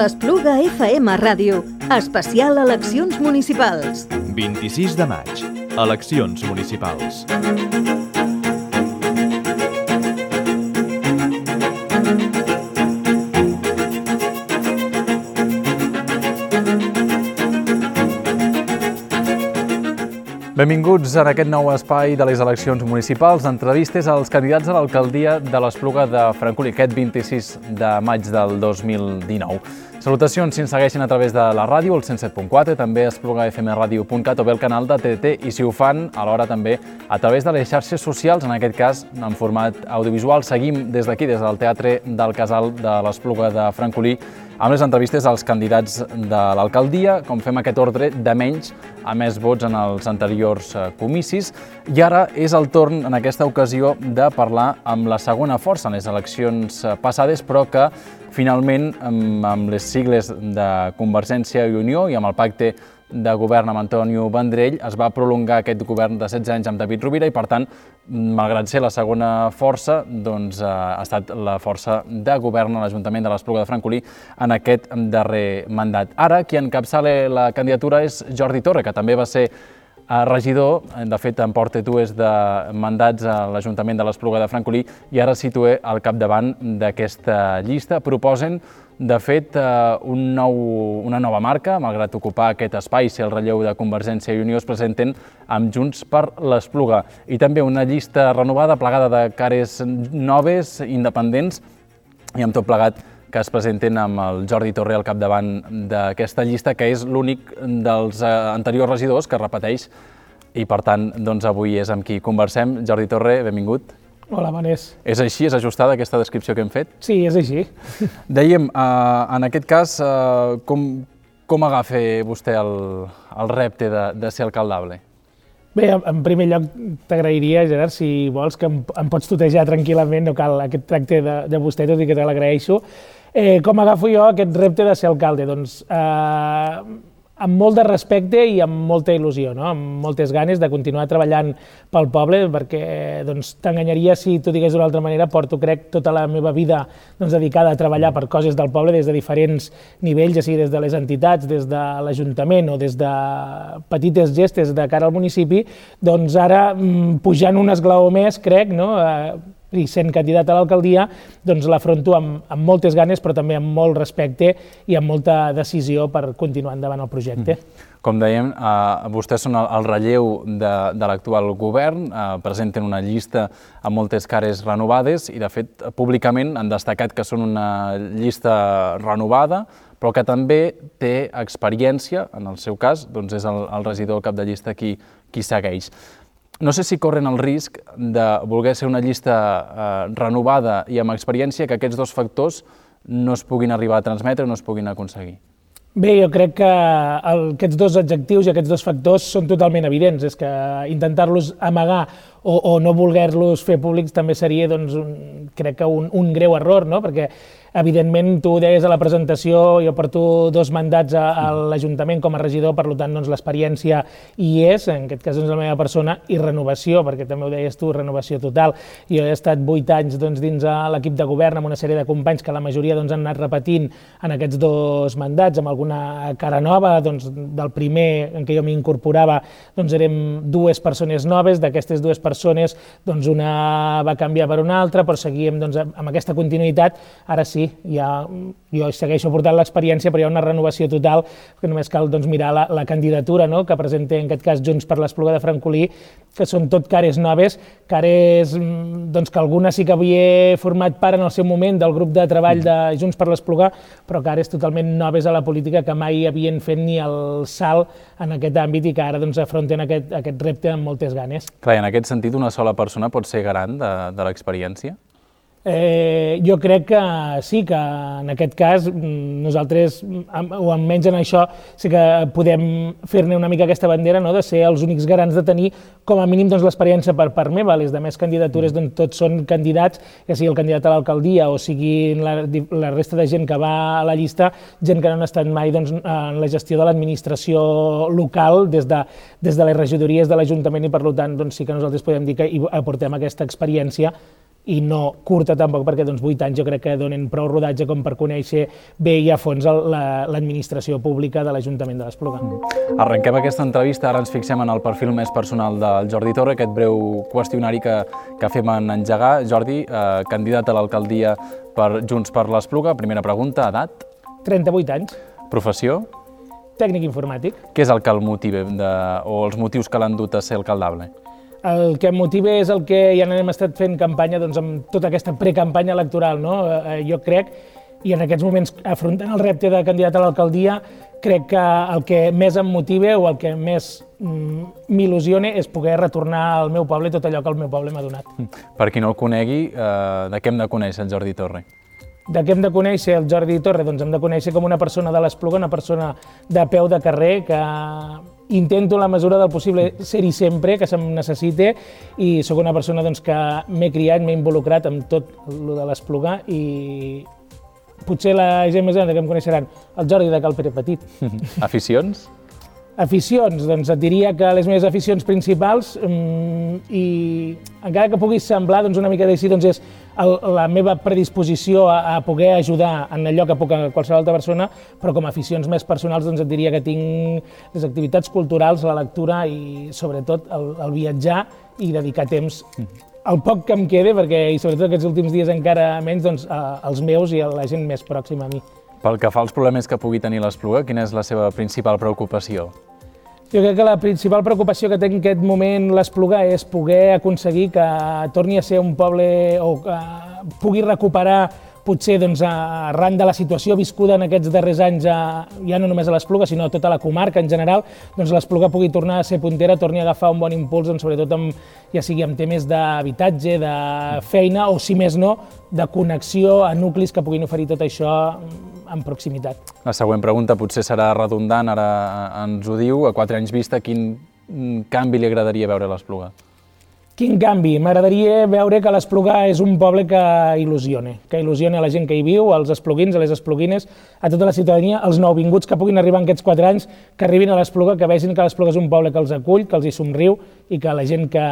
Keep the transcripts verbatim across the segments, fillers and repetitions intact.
l'Espluga F M Ràdio. Especial eleccions municipals. vint-i-sis de maig. Eleccions municipals. Benvinguts en aquest nou espai de les eleccions municipals, entrevistes als candidats a l'alcaldia de l'Espluga de Francolí, aquest vint-i-sis de maig del dos mil dinou. Salutacions si ens segueixen a través de la ràdio, el cent set punt quatre, també espluga f m radio punt cat o bé el canal de T T T, i si ho fan, alhora també a través de les xarxes socials, en aquest cas en format audiovisual. Seguim des d'aquí, des del Teatre del Casal de l'Espluga de Francolí, amb les entrevistes als candidats de l'alcaldia, com fem aquest ordre de menys a més vots en els anteriors comicis. I ara és el torn, en aquesta ocasió, de parlar amb la segona força en les eleccions passades, però que finalment, amb les sigles de Convergència i Unió i amb el pacte de govern amb Antonio Vendrell, es va prolongar aquest govern de setze anys amb David Rovira i, per tant, malgrat ser la segona força, doncs, ha estat la força de govern a l'Ajuntament de l'Espluga de Francolí en aquest darrer mandat. Ara, qui encapçala la candidatura és Jordi Torre, que també va ser regidor, de fet en porta dues de mandats a l'Ajuntament de l'Espluga de Francolí i ara es situa al capdavant d'aquesta llista. Proposen, de fet, un nou, una nova marca, malgrat ocupar aquest espai, ser el relleu de Convergència i Unió, es presenten amb Junts per l'Espluga. I també una llista renovada, plagada de cares noves, independents, i amb tot plegat que es presenten amb el Jordi Torre al capdavant d'aquesta llista, que és l'únic dels anteriors regidors que repeteix, i per tant, doncs, avui és amb qui conversem. Jordi Torre, benvingut. Hola, Manés. És així? És ajustada aquesta descripció que hem fet? Sí, és així. Dèiem, en aquest cas, com, com agafa vostè el, el repte de, de ser alcaldable? Bé, en primer lloc t'agrairia, Gerard, si vols, que em, em pots tutejar tranquil·lament, no cal aquest tracte de, de vostè, tot i que te l'agraeixo. Eh, com agafo jo aquest repte de ser alcalde? Doncs eh, amb molt de respecte i amb molta il·lusió, no? Amb moltes ganes de continuar treballant pel poble, perquè doncs, t'enganyaria si t'ho digués d'una altra manera. Porto, crec, tota la meva vida doncs, dedicada a treballar per coses del poble des de diferents nivells, ja sigui des de les entitats, des de l'Ajuntament o des de petites gestes de cara al municipi. Doncs ara, pujant un esglaó més, crec, no? Eh, i sent candidat a l'alcaldia, doncs l'afronto amb, amb moltes ganes, però també amb molt respecte i amb molta decisió per continuar endavant el projecte. Com dèiem, eh, vostès són el, el relleu de, de l'actual govern, eh, presenten una llista amb moltes cares renovades i, de fet, públicament han destacat que són una llista renovada, però que també té experiència, en el seu cas, doncs és el, el regidor cap de llista qui, qui segueix. No sé si corren el risc de voler ser una llista eh, renovada i amb experiència, que aquests dos factors no es puguin arribar a transmetre o no es puguin aconseguir. Bé, jo crec que el, aquests dos adjectius i aquests dos factors són totalment evidents. És que intentar-los amagar o, o no voler-los fer públics també seria, doncs, un, crec que un, un greu error, no? Perquè evidentment, tu ho deies a la presentació, jo porto dos mandats a, a l'Ajuntament com a regidor, per tant, doncs, l'experiència hi és, en aquest cas, doncs, la meva persona, i renovació, perquè també ho deies tu, renovació total. Jo he estat vuit anys doncs, dins l'equip de govern amb una sèrie de companys que la majoria doncs, han anat repetint en aquests dos mandats, amb alguna cara nova. Doncs, del primer en què jo m'incorporava doncs, érem dues persones noves, d'aquestes dues persones doncs, una va canviar per una altra, però seguíem doncs, amb aquesta continuïtat. Ara sí, ja, jo segueixo portant l'experiència, però hi ha una renovació total, que només cal doncs, mirar la, la candidatura, no?, que presenta en aquest cas Junts per l'Espluga de Francolí, que són tot cares noves, cares doncs, que alguna sí que havia format part en el seu moment del grup de treball de Junts per l'Espluga, però cares totalment noves a la política que mai havien fet ni el salt en aquest àmbit i que ara doncs, afronten aquest, aquest repte amb moltes ganes. Clar, en aquest sentit, una sola persona pot ser garant de, de l'experiència? Eh, jo crec que sí, que en aquest cas nosaltres, o almenys en això, sí que podem fer-ne una mica aquesta bandera, no?, de ser els únics garants de tenir com a mínim doncs, l'experiència per part meva. Les demés candidatures doncs, tots són candidats, ja sigui el candidat a l'alcaldia o sigui la, la resta de gent que va a la llista, gent que no han estat mai doncs, en la gestió de l'administració local des de, des de les regidories de l'Ajuntament i per tant doncs, sí que nosaltres podem dir que hi aportem aquesta experiència i no curta tampoc, perquè doncs, vuit anys jo crec que donen prou rodatge com per conèixer bé i a fons l'administració pública de l'Ajuntament de l'Espluga. Arrenquem aquesta entrevista, ara ens fixem en el perfil més personal del Jordi Torre, aquest breu qüestionari que, que fem en engegar. Jordi, eh, candidat a l'alcaldia per Junts per l'Espluga, primera pregunta, edat? trenta-vuit anys. Professió? Tècnic informàtic. Què és el que el motiva, de, o els motius que l'han dut a ser alcaldable? El que em motiva és el que ja n'hem estat fent campanya doncs, amb tota aquesta precampanya electoral. No? Jo crec, i en aquests moments afrontant el repte de candidat a l'alcaldia, crec que el que més em motiva o el que més mm, m'il·lusiona és poder retornar al meu poble tot allò que el meu poble m'ha donat. Per qui no el conegui, eh, de què hem de conèixer el Jordi Torre? De què hem de conèixer el Jordi Torre? Doncs hem de conèixer com una persona de l'Espluga, una persona de peu de carrer, que intento en la mesura del possible ser-hi sempre, que se'm necessite, i sóc una persona doncs, que m'he criat, m'he involucrat amb tot el de l'Espluga i potser la gent més gran que em coneixeran, el Jordi de Cal Pere Petit. Aficions? Aficions, doncs et diria que les meves aficions principals, um, i encara que puguis semblar doncs, una mica d'així, doncs és el, la meva predisposició a, a poder ajudar en allò que puc a qualsevol altra persona, però com a aficions més personals doncs et diria que tinc les activitats culturals, la lectura i sobretot el, el viatjar i dedicar temps el poc que em quede, perquè i sobretot aquests últims dies encara menys, doncs, als meus i a la gent més pròxima a mi. Pel que fa als problemes que pugui tenir l'Espluga, quina és la seva principal preocupació? Jo crec que la principal preocupació que té en aquest moment l'Espluga és poder aconseguir que torni a ser un poble o que pugui recuperar potser doncs, arran de la situació viscuda en aquests darrers anys, ja no només a l'Espluga, sinó a tota la comarca en general, doncs l'Espluga pugui tornar a ser puntera, torni a agafar un bon impuls, doncs, sobretot amb, ja sigui amb temes d'habitatge, de feina o, si més no, de connexió a nuclis que puguin oferir tot això en proximitat. La següent pregunta potser serà redundant, ara ens ho diu, a quatre anys vista, quin canvi li agradaria veure a l'Espluga? Quin canvi? M'agradaria veure que l'Espluga és un poble que il·lusiona, que il·lusiona a la gent que hi viu, als espluguins, a les espluguines, a tota la ciutadania, els nouvinguts que puguin arribar en aquests quatre anys, que arribin a l'Espluga, que vegin que l'Espluga és un poble que els acull, que els hi somriu i que la gent que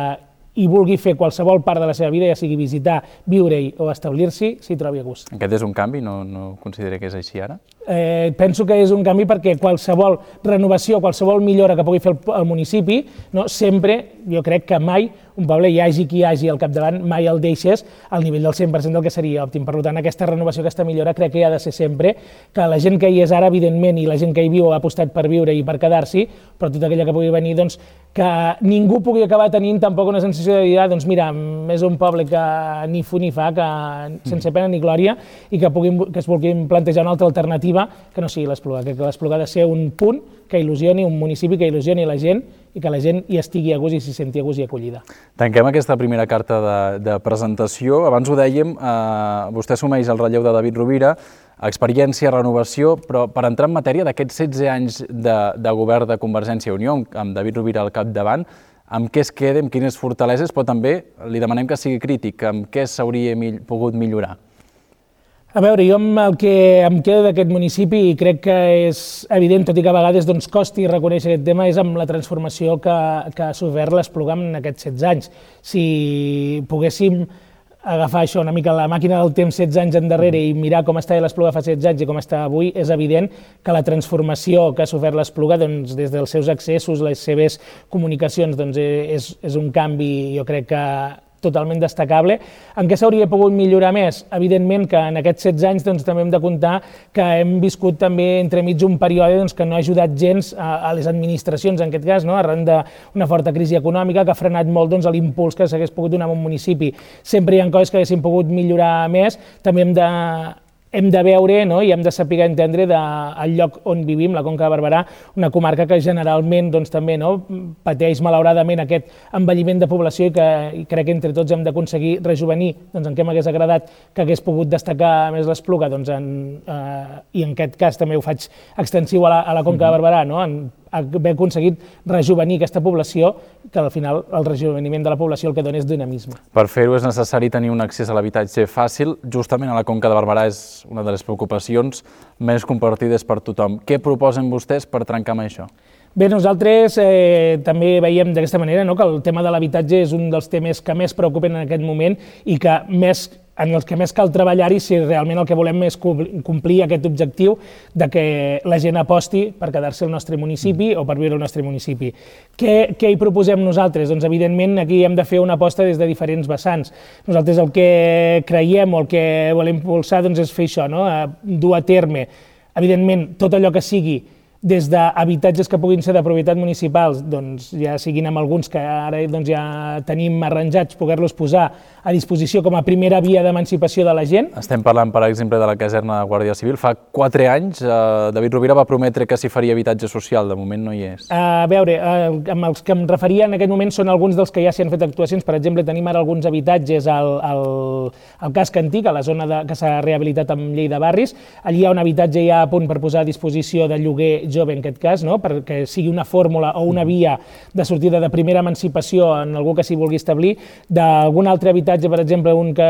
hi vulgui fer qualsevol part de la seva vida, ja sigui visitar, viure-hi o establir-s'hi, s'hi trobi a gust. Aquest és un canvi? No, no considera que és així ara? Eh, penso que és un canvi perquè qualsevol renovació, qualsevol millora que pugui fer el, el municipi, no, sempre, jo crec que mai un poble, hi hagi qui hi hagi al capdavant, mai el deixes al nivell del cent per cent del que seria òptim. Per tant, aquesta renovació, aquesta millora, crec que hi ha de ser sempre, que la gent que hi és ara, evidentment, i la gent que hi viu ha apostat per viure i per quedar-s'hi, però tota aquella que pugui venir, doncs, que ningú pugui acabar tenint tampoc una sensació de dir, ah, doncs mira, és un poble que ni fu ni fa, que sense pena ni glòria, i que, puguin, que es vulguin plantejar una altra alternativa que no sigui l'Espluga, que l'Espluga ha de ser un punt que il·lusioni, un municipi que il·lusioni la gent i que la gent hi estigui a gust i s'hi senti a gust i acollida. Tanquem aquesta primera carta de, de presentació. Abans ho dèiem, eh, vostè assumeix el relleu de David Rovira, experiència, renovació, però per entrar en matèria d'aquests setze anys de, de govern de Convergència i Unió, amb David Rovira al capdavant, amb què es queda, amb quines fortaleses, però també li demanem que sigui crític, amb què s'hauria pogut millorar? A veure, jo amb el que em quedo d'aquest municipi, i crec que és evident, tot i que a vegades doncs, costi reconèixer aquest tema, és amb la transformació que, que ha sofert l'Espluga en aquests setze anys. Si poguéssim agafar això una mica la màquina del temps setze anys endarrere i mirar com estava l'Espluga fa setze anys i com està avui, és evident que la transformació que ha sofert l'Espluga, doncs, des dels seus accessos, les seves comunicacions, doncs, és, és un canvi, jo crec que totalment destacable. En què s'hauria pogut millorar més? Evidentment que en aquests setze anys doncs, també hem de comptar que hem viscut també entremig un període doncs, que no ha ajudat gens a, a les administracions, en aquest cas, no? Arran d'una forta crisi econòmica que ha frenat molt doncs, l'impuls que s'hagués pogut donar a un municipi. Sempre hi ha coses que haguessin pogut millorar més, també hem de hem de veure, no? I hem de saber entendre del lloc on vivim, la Conca de Barberà, una comarca que generalment doncs, també no? pateix malauradament aquest envelliment de població i que i crec que entre tots hem d'aconseguir rejuvenir. Doncs en què m'hagués agradat que hagués pogut destacar més l'Espluga? Doncs en, eh, I en aquest cas també ho faig extensiu a la, a la Conca de Barberà, no? En, haver aconseguit rejuvenir aquesta població, que al final el rejuveniment de la població el que dona és dinamisme. Per fer-ho és necessari tenir un accés a l'habitatge fàcil. Justament a la Conca de Barberà és una de les preocupacions més compartides per tothom. Què proposen vostès per trencar amb això? Bé, nosaltres eh, també veiem d'aquesta manera, no?, que el tema de l'habitatge és un dels temes que més preocupen en aquest moment i que més, en els que més cal treballar-hi si realment el que volem és complir aquest objectiu de que la gent aposti per quedar-se al nostre municipi o per viure al nostre municipi. Què, què hi proposem nosaltres? Doncs evidentment aquí hem de fer una aposta des de diferents vessants. Nosaltres el que creiem o el que volem impulsar doncs, és fer això, no?, dur a terme, evidentment, tot allò que sigui des d'habitatges que puguin ser de propietat municipals, doncs ja siguin amb alguns que ara doncs, ja tenim arranjats, poder-los posar a disposició com a primera via d'emancipació de la gent. Estem parlant, per exemple, de la caserna de Guàrdia Civil. Fa quatre anys eh, David Rovira va prometre que s'hi faria habitatge social, de moment no hi és. A veure, eh, amb els que em referia en aquest moment són alguns dels que ja s'hi han fet actuacions. Per exemple, tenim ara alguns habitatges al, al, al casc antic, a la zona de, que s'ha rehabilitat amb llei de barris. Allí hi ha un habitatge ja a punt per posar a disposició de lloguer jove, en aquest cas, no?, perquè sigui una fórmula o una via de sortida de primera emancipació en algú que s'hi vulgui establir. D'algun altre habitatge, per exemple, un que,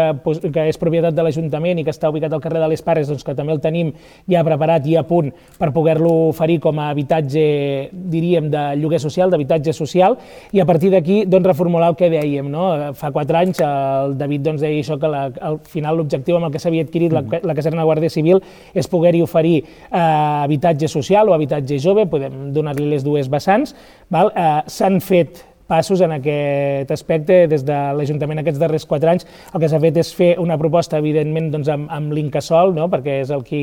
que és propietat de l'Ajuntament i que està ubicat al carrer de les Pares, doncs que també el tenim ja preparat i a punt per poder-lo oferir com a habitatge, diríem, de lloguer social, d'habitatge social, i a partir d'aquí doncs, reformular el que dèiem, no? Fa quatre anys el David doncs, deia això, que la, al final l'objectiu amb el que s'havia adquirit la, la caserna de Guàrdia Civil és poder-hi oferir eh, habitatge social o habitatge jove, podem donar-li les dues vessants, val? Eh, s'han fet passos en aquest aspecte des de l'Ajuntament aquests darrers quatre anys. El que s'ha fet és fer una proposta, evidentment, doncs, amb, amb l'Incasòl, no?, perquè és el que,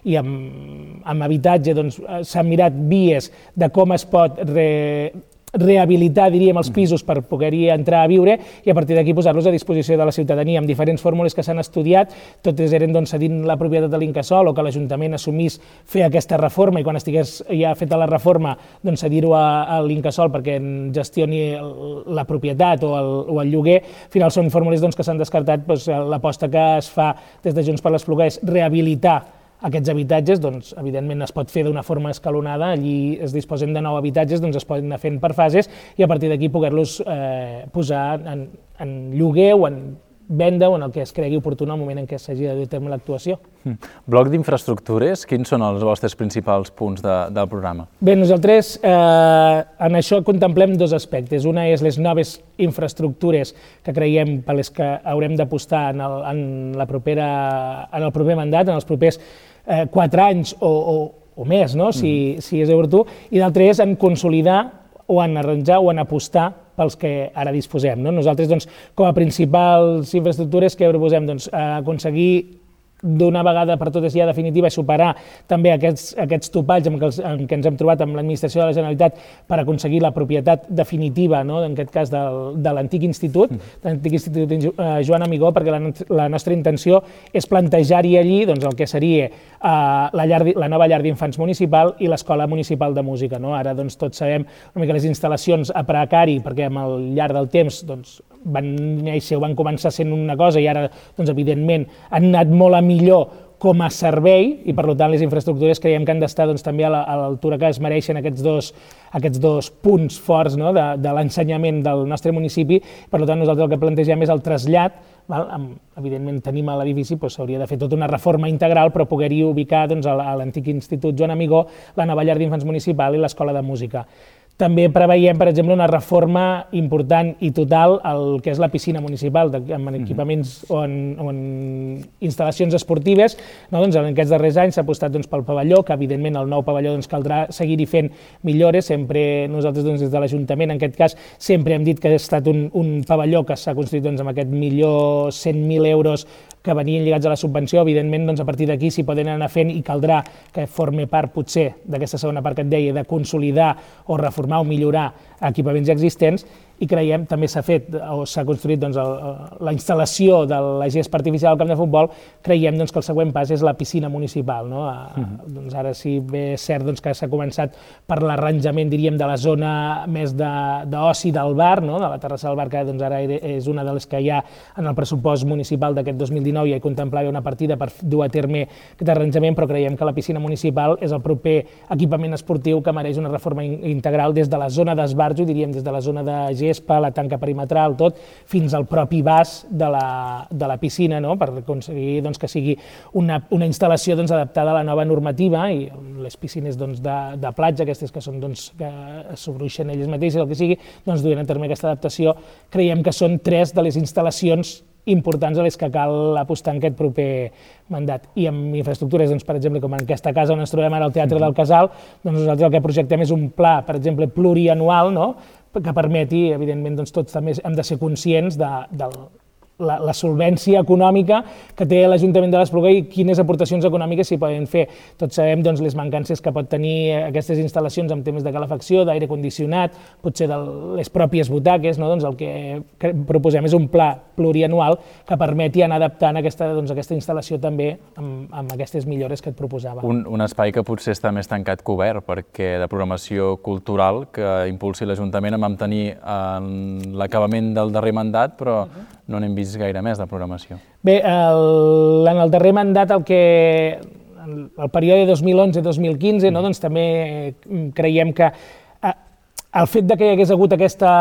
i amb, amb habitatge doncs, s'han mirat vies de com es pot re, rehabilitar, diríem, els pisos per poder-hi entrar a viure i a partir d'aquí posar-los a disposició de la ciutadania amb diferents fórmules que s'han estudiat. Totes eren doncs, cedint la propietat de l'Incasòl o que l'Ajuntament assumís fer aquesta reforma i quan estigués ja feta la reforma doncs, cedir-ho a, a l'Incasòl perquè en gestioni la propietat o el, o el lloguer. Al final són fórmules doncs, que s'han descartat. Doncs, l'aposta que es fa des de Junts per l'Espluga és rehabilitar aquests habitatges, doncs, evidentment es pot fer d'una forma escalonada, allí es disposen de nou habitatges, doncs es poden anar fent per fases i a partir d'aquí poder-los eh, posar en, en lloguer o en venda o en el que es cregui oportú en el moment en què s'hagi de dur a terme l'actuació. Mm. Bloc d'infraestructures, quins són els vostres principals punts de, del programa? Bé, nosaltres eh, en això contemplem dos aspectes. Una és les noves infraestructures que creiem per les que haurem d'apostar en, el, en, la propera, en el proper mandat, en els propers eh, quatre anys o, o, o més, no? si, mm. si és oportú, i l'altre és en consolidar o en arranjar o en apostar pels que ara disposem. No? Nosaltres, doncs, com a principals infraestructures, què proposem? Doncs, aconseguir d'una vegada per totes ja definitiva superar també aquests, aquests topalls amb què, els, amb què ens hem trobat amb l'administració de la Generalitat per aconseguir la propietat definitiva, no? en aquest cas del, de l'antic institut, mm. de l'antic institut eh, Joan Amigó, perquè la, la nostra intenció és plantejar-hi allí doncs, el que seria eh, la, llar, la nova llar d'infants municipal i l'escola municipal de música. No? Ara doncs, tots sabem una mica les instal·lacions a precari, perquè amb el llarg del temps doncs, van néixer o van començar sent una cosa i ara, doncs, evidentment, han anat molt a millor com a servei i, per tant, les infraestructures creiem que han d'estar doncs, també a l'altura que es mereixen aquests dos, aquests dos punts forts, no? de, de l'ensenyament del nostre municipi. Per tant, nosaltres el que plantegem és el trasllat. Val? Amb, evidentment, tenim a l'edifici, doncs, s'hauria de fer tota una reforma integral, però poder-hi ubicar doncs, a l'antic Institut Joan Amigó, la nova llar d'infants municipal i l'escola de música. També preveiem, per exemple, una reforma important i total al que és la piscina municipal, amb equipaments o en, o en instal·lacions esportives. No? Doncs en aquests darrers anys s'ha apostat doncs, pel pavelló, que evidentment el nou pavelló doncs, caldrà seguir-hi fent millores. Sempre nosaltres doncs, des de l'Ajuntament, en aquest cas, sempre hem dit que ha estat un, un pavelló que s'ha construït doncs, amb aquest milió cent mil euros que venien lligats a la subvenció. Evidentment, doncs, a partir d'aquí s'hi poden anar fent i caldrà que formi part, potser, d'aquesta segona part que et deia, de consolidar o reformar o millorar equipaments existents, i creiem, també s'ha fet o s'ha construït doncs, el, la instal·lació de la gespa artificial al camp de futbol. Creiem doncs, que el següent pas és la piscina municipal. No? A, uh-huh. doncs ara sí bé és cert doncs, que s'ha començat per l'arranjament, diríem, de la zona més d'oci de, del bar, no? de la terrassa del bar, que doncs, ara és una de les que hi ha en el pressupost municipal d'aquest dos mil dinou, i hi contemplava una partida per dur a terme aquest arranjament, però creiem que la piscina municipal és el proper equipament esportiu que mereix una reforma integral des de la zona d'esbarjo, diríem, des de la zona de gespa, la tanca perimetral, tot, fins al propi vas de la, de la piscina, no? Per aconseguir doncs, que sigui una, una instal·lació doncs, adaptada a la nova normativa i les piscines doncs, de, de platja, aquestes que són doncs, que s'obruixen elles mateixes, el que sigui, doncs, duent a terme aquesta adaptació. Creiem que són tres de les instal·lacions importants a les que cal apostar en aquest proper mandat. I amb infraestructures, doncs, per exemple, com en aquesta casa on ens trobem ara al Teatre del Casal, doncs nosaltres el que projectem és un pla, per exemple, plurianual, no? Que permeti, evidentment, doncs, tots també hem de ser conscients de, del La, la solvència econòmica que té l'Ajuntament de l'Espluga i quines aportacions econòmiques s'hi poden fer. Tots sabem doncs, les mancances que pot tenir aquestes instal·lacions en temes de calefacció, d'aire condicionat, potser de les pròpies butaques, no? Doncs el que proposem és un pla plurianual que permeti anar adaptant aquesta, doncs, aquesta instal·lació també amb, amb aquestes millores que et proposava. Un, un espai que potser està més tancat que obert, perquè de programació cultural que impulsi l'Ajuntament a mantenir en l'acabament del darrer mandat, però uh-huh. no n'hem vist gaire més de programació. Bé, el, en el darrer mandat, el que el període dos mil onze dos mil quinze, no, doncs també creiem que el fet de que hi hagués hagut aquesta,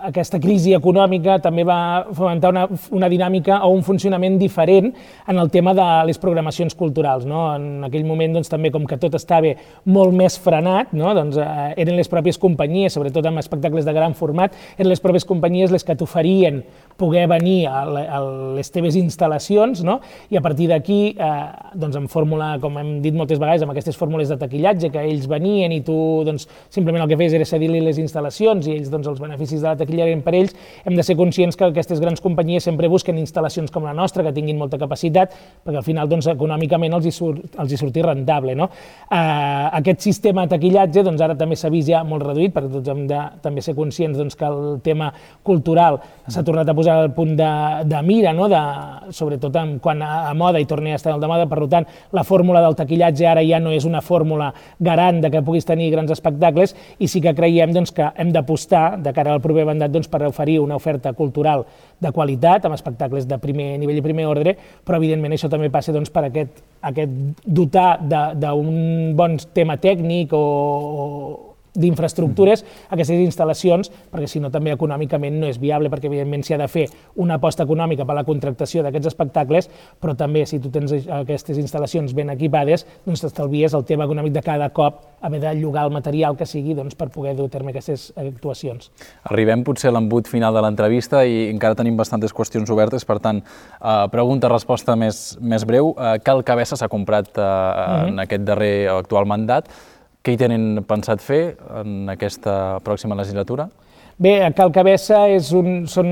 aquesta crisi econòmica també va fomentar una, una dinàmica o un funcionament diferent en el tema de les programacions culturals. No? En aquell moment, doncs, també, com que tot estava molt més frenat, no? Doncs, eh, eren les pròpies companyies, sobretot amb espectacles de gran format, eren les pròpies companyies les que t'oferien poder venir a, a les teves instal·lacions, no? I a partir d'aquí, eh, doncs, en fórmula, com hem dit moltes vegades, amb aquestes fórmules de taquillatge, que ells venien i tu doncs, simplement el que feies era cedir-li les instal·lacions i ells, doncs, els beneficis de la taquilla eren per ells, hem de ser conscients que aquestes grans companyies sempre busquen instal·lacions com la nostra, que tinguin molta capacitat, perquè al final, doncs, econòmicament els hi, surt, els hi surti rentable. No? Eh, aquest sistema de taquillatge doncs, ara també s'ha vist ja molt reduït, perquè tots hem de també ser conscients doncs, que el tema cultural s'ha tornat a posar al punt de, de mira, no? De, sobretot en, quan a, a moda i torni a estar al de moda, per tant, la fórmula del taquillatge ara ja no és una fórmula garant de que puguis tenir grans espectacles i sí que creiem doncs, que hem d'apostar de cara al proper mandat doncs, per oferir una oferta cultural de qualitat, amb espectacles de primer nivell i primer ordre, però evidentment això també passa doncs, per aquest, aquest dotar d'un bon tema tècnic o, o d'infraestructures a aquestes instal·lacions, perquè si no també econòmicament no és viable, perquè evidentment s'hi ha de fer una aposta econòmica per a la contractació d'aquests espectacles, però també si tu tens aquestes instal·lacions ben equipades, doncs t'estalvies el tema econòmic de cada cop haver de llogar el material que sigui doncs, per poder dur a terme aquestes actuacions. Arribem potser a l'embut final de l'entrevista i encara tenim bastantes qüestions obertes, per tant, eh, pregunta-resposta més, més breu. Eh, Cal Cabessa s'ha comprat eh, uh-huh. en aquest darrer o actual mandat. Què hi tenen pensat fer en aquesta pròxima legislatura? Bé, a Cal Cabessa és un, són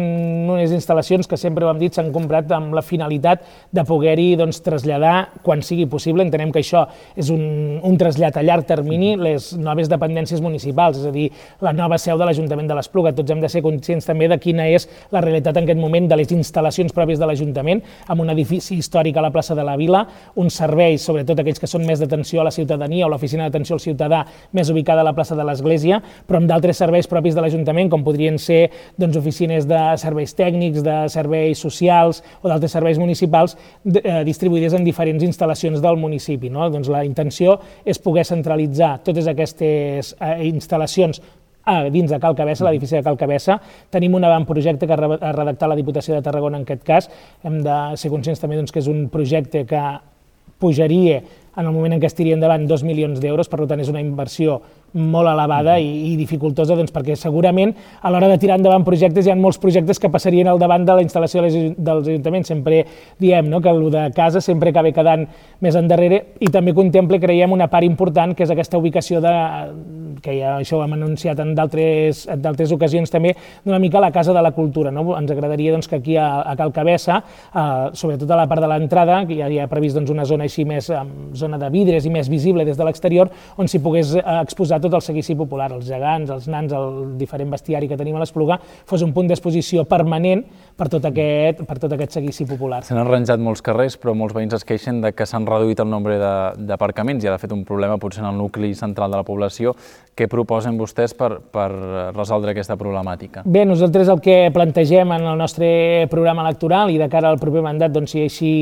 unes instal·lacions que sempre ho hem dit s'han comprat amb la finalitat de poder-hi doncs, traslladar quan sigui possible. Entenem que això és un, un trasllat a llarg termini, les noves dependències municipals, és a dir, la nova seu de l'Ajuntament de l'Espluga. Tots hem de ser conscients també de quina és la realitat en aquest moment de les instal·lacions pròpies de l'Ajuntament, amb un edifici històric a la plaça de la Vila, uns serveis, sobretot aquells que són més d'atenció a la ciutadania o l'oficina d'atenció al ciutadà més ubicada a la plaça de l'Església, però amb d'altres serveis propis de l'Ajuntament, com podrien ser doncs, oficines de serveis tècnics, de serveis socials o d'altres serveis municipals eh, distribuïdes en diferents instal·lacions del municipi. No? Doncs la intenció és poder centralitzar totes aquestes eh, instal·lacions Ah, dins de Cal Cabessa, l'edifici de Cal Cabessa. Tenim un avantprojecte que ha redactat la Diputació de Tarragona en aquest cas. Hem de ser conscients també doncs, que és un projecte que pujaria en el moment en què es tiri endavant dos milions d'euros, per tant és una inversió molt elevada i, i dificultosa, doncs, perquè segurament a l'hora de tirar endavant projectes hi ha molts projectes que passarien al davant de la instal·lació dels ajuntaments. Sempre diem no, que el de casa sempre acaba quedant més endarrere i també contempla, creiem, una part important que és aquesta ubicació de, que ja això ho hem anunciat en d'altres ocasions també, d'una mica la Casa de la Cultura. No? Ens agradaria doncs, que aquí a, a Cal Cabessa, eh, sobretot a la part de l'entrada, que ja hi ha previst doncs, una zona així més, zona de vidres i més visible des de l'exterior, on s'hi pogués exposar tot el seguici popular, els gegants, els nans, el diferent bestiari que tenim a l'Espluga, fos un punt d'exposició permanent per tot aquest, per tot aquest seguici popular. S'han arranjat molts carrers, però molts veïns es queixen de que s'han reduït el nombre d'aparcaments i ha fet un problema potser en el nucli central de la població. Què proposen vostès per, per resoldre aquesta problemàtica? Bé, nosaltres el que plantegem en el nostre programa electoral i de cara al proper mandat, doncs, si així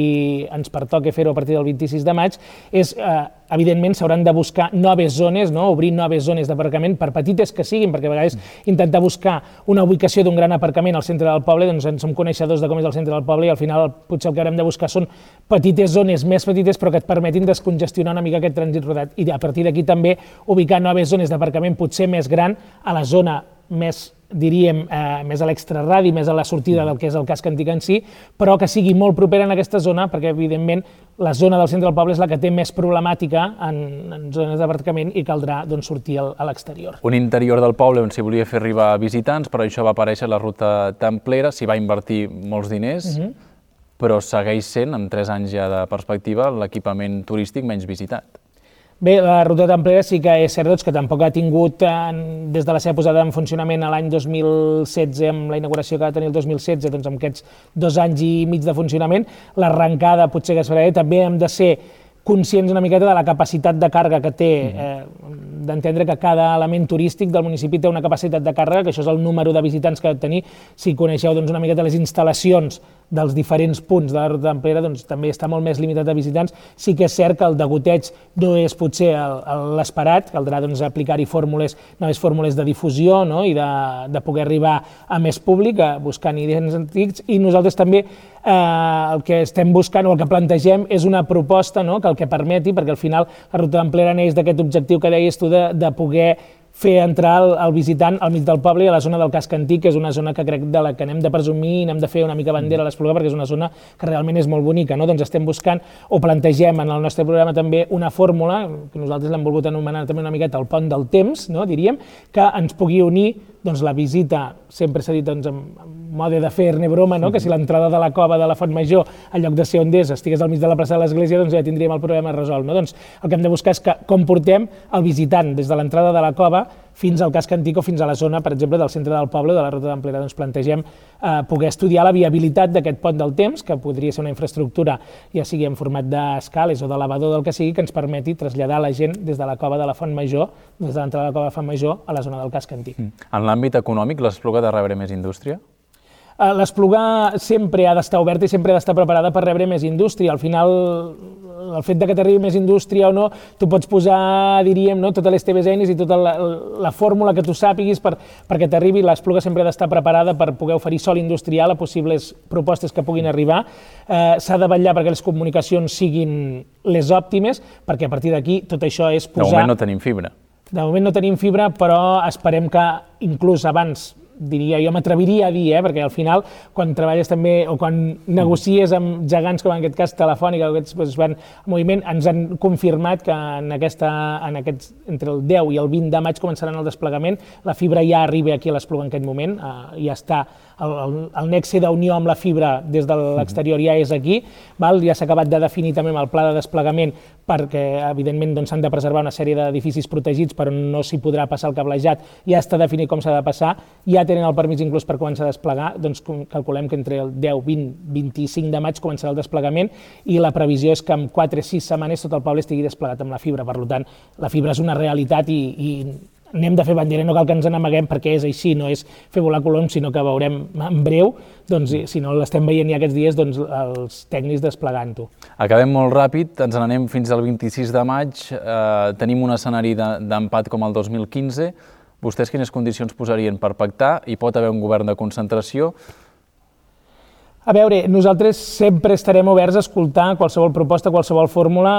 ens pertoca fer-ho a partir del vint-i-sis de maig, és, eh, evidentment, s'hauran de buscar noves zones, no? Obrir noves zones d'aparcament, per petites que siguin, perquè a vegades intentar buscar una ubicació d'un gran aparcament al centre del poble, doncs en som coneixedors de com és el centre del poble i al final potser el que haurem de buscar són petites zones més petites però que et permetin descongestionar una mica aquest trànsit rodat i a partir d'aquí també ubicar noves zones d'aparcament potser més gran a la zona més, diríem, eh, més a l'extraradi, més a la sortida del que és el casc antic en si, però que sigui molt propera en aquesta zona, perquè evidentment la zona del centre del poble és la que té més problemàtica en, en zones d'aparcament i caldrà doncs, sortir al, a l'exterior. Un interior del poble on s'hi volia fer arribar visitants, però això va aparèixer la ruta templera, s'hi va invertir molts diners, uh-huh. però segueix sent, amb tres anys ja de perspectiva, l'equipament turístic menys visitat. Bé, la ruta templera sí que és cert doncs, que tampoc ha tingut, en, des de la seva posada en funcionament a l'any dos mil setze, amb la inauguració que va tenir el dos mil setze, doncs amb aquests dos anys i mig de funcionament, l'arrencada potser que es farà, també hem de ser conscients una miqueta de la capacitat de càrrega que té, eh, d'entendre que cada element turístic del municipi té una capacitat de càrrega, que això és el número de visitants que ha de tenir. Si coneixeu doncs, una miqueta les instal·lacions dels diferents punts de la ruta templera, doncs també està molt més limitat de visitants. Sí que és cert que el degoteig no és potser l'esperat, caldrà doncs, aplicar-hi fórmules, noves fórmules de difusió, no? I de, de poder arribar a més públic, a buscant idees antics, i nosaltres també eh, el que estem buscant o el que plantegem és una proposta, no? Que el que permeti, perquè al final la ruta templera neix d'aquest objectiu que deies tu de, de poder fer entrar el, el visitant al mig del poble i a la zona del casc antic, que és una zona que crec de la que anem de presumir i anem de fer una mica bandera a l'Espluga perquè és una zona que realment és molt bonica, no? Doncs estem buscant o plantegem en el nostre programa també una fórmula, que nosaltres l'hem volgut anomenar també una miqueta el pont del temps, no? Diríem, que ens pugui unir doncs, la visita, sempre s'ha dit doncs, en mode de fer-ne broma, no? Que si l'entrada de la cova de la Font Major, en lloc de ser on és, estigués al mig de la plaça de l'Església, doncs ja tindríem el problema resolt, no? Doncs el que hem de buscar és que com portem el visitant des de l'entrada de la cova fins al casc antic o fins a la zona, per exemple, del centre del poble, de la ruta templera, doncs plantegem eh, poder estudiar la viabilitat d'aquest pont del temps, que podria ser una infraestructura, ja sigui en format d'escales o d'elevador del que sigui, que ens permeti traslladar la gent des de la cova de la Font Major, des de l'entrada de la cova de la Font Major, a la zona del casc antic. Mm. En l'àmbit econòmic, l'Espluga ha de rebre més indústria? L'Espluga sempre ha d'estar oberta i sempre ha d'estar preparada per rebre més indústria. Al final, el fet de que t'arribi més indústria o no, tu pots posar, diríem, no, totes les teves eines i tota la, la fórmula que tu sàpiguis per, perquè t'arribi. L'Espluga sempre ha d'estar preparada per poder oferir sòl industrial a possibles propostes que puguin arribar. Eh, s'ha de vetllar perquè les comunicacions siguin les òptimes, perquè a partir d'aquí tot això és posar... De moment no tenim fibra. De moment no tenim fibra, però esperem que inclús abans, diria, jo m'atreviria a dir, eh, perquè al final, quan treballes també, o quan negocies amb gegants, com en aquest cas Telefònica, o aquests doncs, van en moviment, ens han confirmat que en aquesta, en aquests, entre el deu i el vint de maig començaran el desplegament, la fibra ja arriba aquí a l'Espluga en aquest moment, eh, ja està, el, el, el nexe d'unió amb la fibra des de l'exterior ja és aquí, val? Ja s'ha acabat de definir també amb el pla de desplegament perquè, evidentment, doncs, s'han de preservar una sèrie d'edificis protegits, però no s'hi podrà passar el cablejat, ja està definit com s'ha de passar, ja tenen el permís inclús per començar a desplegar, doncs calculem que entre el deu, vint, vint-i-cinc de maig començarà el desplegament i la previsió és que en quatre o sis setmanes tot el poble estigui desplegat amb la fibra. Per tant, la fibra és una realitat i, i anem de fer bandera, no cal que ens n'amaguem perquè és així, no és fer volar coloms, sinó que veurem en breu, doncs, si no l'estem veient ja aquests dies, doncs, els tècnics desplegant-ho. Acabem molt ràpid, ens n'anem fins al vint-i-sis de maig, eh, tenim un escenari d'empat com el dos mil quinze, vostès quines condicions posarien per pactar? Hi pot haver un govern de concentració? A veure, nosaltres sempre estarem oberts a escoltar qualsevol proposta, qualsevol fórmula,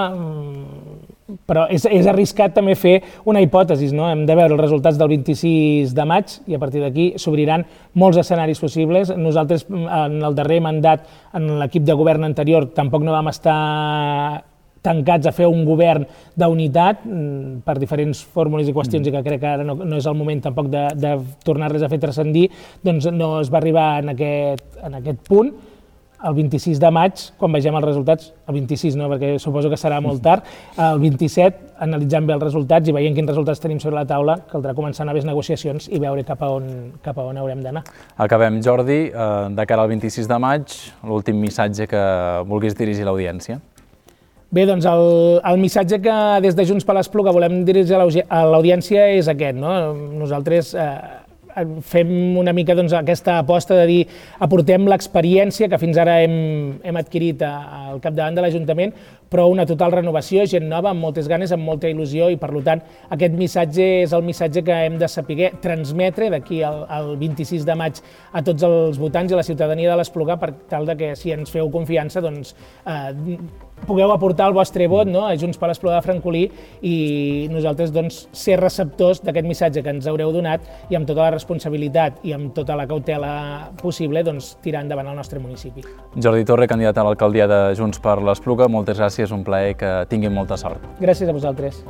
però és, és arriscat també fer una hipòtesi, no? Hem de veure els resultats del vint-i-sis de maig i a partir d'aquí s'obriran molts escenaris possibles. Nosaltres, en el darrer mandat, en l'equip de govern anterior, tampoc no vam estar tancats a fer un govern d'unitat per diferents fórmules i qüestions mm. i que crec que ara no, no és el moment tampoc de, de tornar-les a fer transcendir, doncs no es va arribar en aquest, en aquest punt. el vint-i-sis de maig, quan vegem els resultats, el vint-i-sis no, perquè suposo que serà molt tard, el vint-i-set, analitzant bé els resultats i veient quins resultats tenim sobre la taula, caldrà començar noves negociacions i veure cap a on, cap a on haurem d'anar. Acabem, Jordi, de cara al vint-i-sis de maig, l'últim missatge que vulguis dirigir a l'audiència. Bé, doncs el, el missatge que des de Junts per l'Espluga volem dirigir a l'audiència és aquest, no? Nosaltres eh, fem una mica doncs, aquesta aposta de dir aportem l'experiència que fins ara hem, hem adquirit al capdavant de l'Ajuntament, però una total renovació, gent nova, amb moltes ganes, amb molta il·lusió i per tant aquest missatge és el missatge que hem de saber transmetre d'aquí al, al vint-i-sis de maig a tots els votants i a la ciutadania de l'Espluga per tal de que si ens feu confiança doncs, eh, pugueu aportar el vostre vot no, a Junts per l'Espluga de Francolí i nosaltres doncs, ser receptors d'aquest missatge que ens haureu donat i amb tota la responsabilitat i amb tota la cautela possible doncs, tirar endavant el nostre municipi. Jordi Torre, candidat a l'alcaldia de Junts per l'Espluga, moltes gràcies, un plaer, que tinguin molta sort. Gràcies a vosaltres.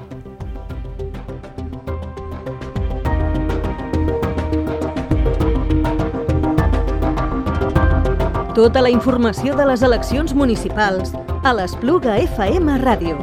Tota la informació de les eleccions municipals a l'Espluga F M Ràdio.